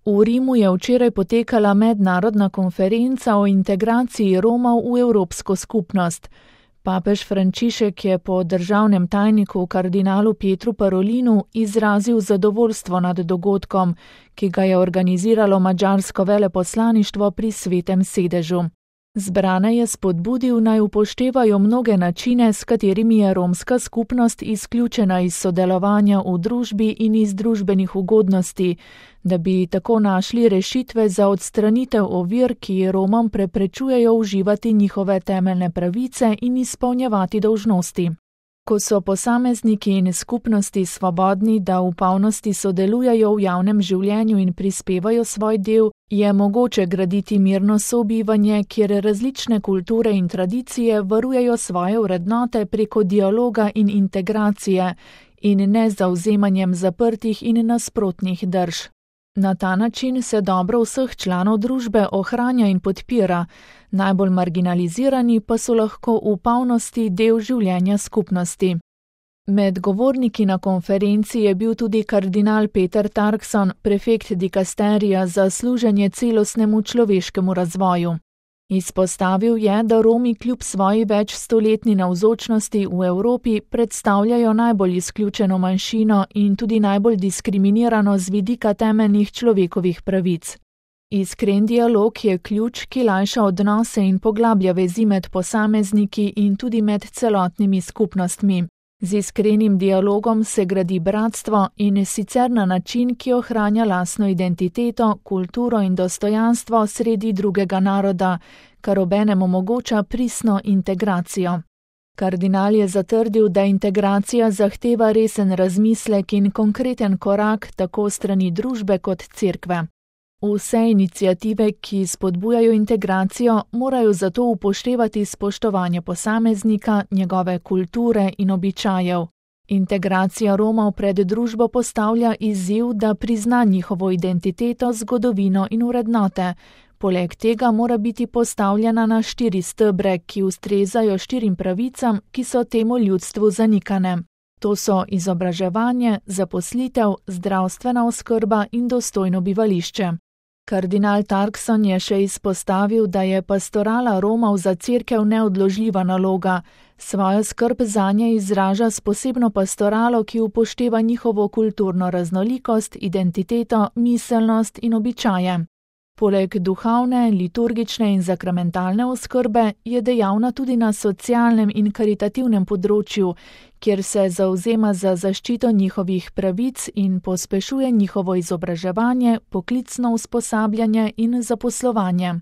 V Rimu je včeraj potekala mednarodna konferenca o integraciji Romov v Evropsko skupnost. Papež Frančišek je po državnem tajniku kardinalu Pietru Parolinu izrazil zadovoljstvo nad dogodkom, ki ga je organiziralo madžarsko veleposlaništvo pri Svetem sedežu. Zbrane je spodbudil, naj upoštevajo mnoge načine, s katerimi je romska skupnost izključena iz sodelovanja v družbi in iz družbenih ugodnosti, da bi tako našli rešitve za odstranitev ovir, ki Romom preprečujejo uživati njihove temeljne pravice in izpolnjevati dolžnosti. Ko so posamezniki in skupnosti svobodni, da v polnosti sodelujejo v javnem življenju in prispevajo svoj del, je mogoče graditi mirno sobivanje, kjer različne kulture in tradicije varujejo svoje vrednote preko dialoga in integracije in ne zavzemanjem zaprtih in nasprotnih drž. Na ta način se dobro vseh članov družbe ohranja in podpira, najbolj marginalizirani pa so lahko v polnosti del življenja skupnosti. Med govorniki na konferenci je bil tudi kardinal Peter Turkson, prefekt dikasterija za služenje celostnemu človeškemu razvoju. Izpostavil je, da Romi kljub svoji večstoletni navzočnosti v Evropi predstavljajo najbolj izključeno manjšino in tudi najbolj diskriminirano z vidika temeljnih človekovih pravic. Iskren dialog je ključ, ki lajša odnose in poglablja vezi med posamezniki in tudi med celotnimi skupnostmi. Z iskrenim dialogom se gradi bratstvo in sicer na način, ki ohranja lastno identiteto, kulturo in dostojanstvo sredi drugega naroda, kar obenem omogoča pristno integracijo. Kardinal je zatrdil, da integracija zahteva resen razmislek in konkreten korak tako strani družbe kot cerkve. Vse iniciative, ki spodbujajo integracijo, morajo zato upoštevati spoštovanje posameznika, njegove kulture in običajev. Integracija Romov pred družbo postavlja izziv, da prizna njihovo identiteto, zgodovino in vrednote. Poleg tega mora biti postavljena na 4 stebre, ki ustrezajo 4 pravicam, ki so temu ljudstvu zanikane. To so izobraževanje, zaposlitev, zdravstvena oskrba in dostojno bivališče. Kardinal Turkson je še izpostavil, da je pastorala Romov za cerkev neodložljiva naloga. Svojo skrb zanje izraža s posebno pastoralo, ki upošteva njihovo kulturno raznolikost, identiteto, miselnost in običaje. Poleg duhovne, liturgične in sakramentalne oskrbe je dejavna tudi na socialnem in karitativnem področju, kjer se zavzema za zaščito njihovih pravic in pospešuje njihovo izobraževanje, poklicno usposabljanje in zaposlovanje.